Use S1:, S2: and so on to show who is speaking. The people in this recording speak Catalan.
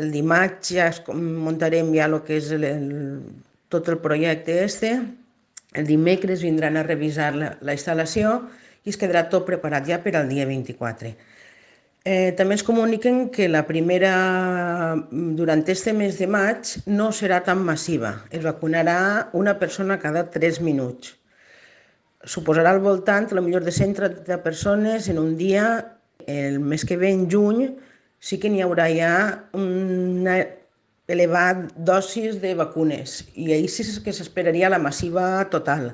S1: el dimarts ja muntarem ja el que és tot el projecte este. El dimecres vindran a revisar la instal·lació i es quedarà tot preparat ja per al dia 24. També ens comuniquen que la primera, durant este mes de maig, no serà tan massiva. Es vacunarà una persona cada 3 minuts. Suposarà al voltant, potser de 130 persones en un dia. El mes que ve, en juny, sí que n'hi haurà ja una elevada dosis de vacunes i ahir sí que s'esperaria la massiva total.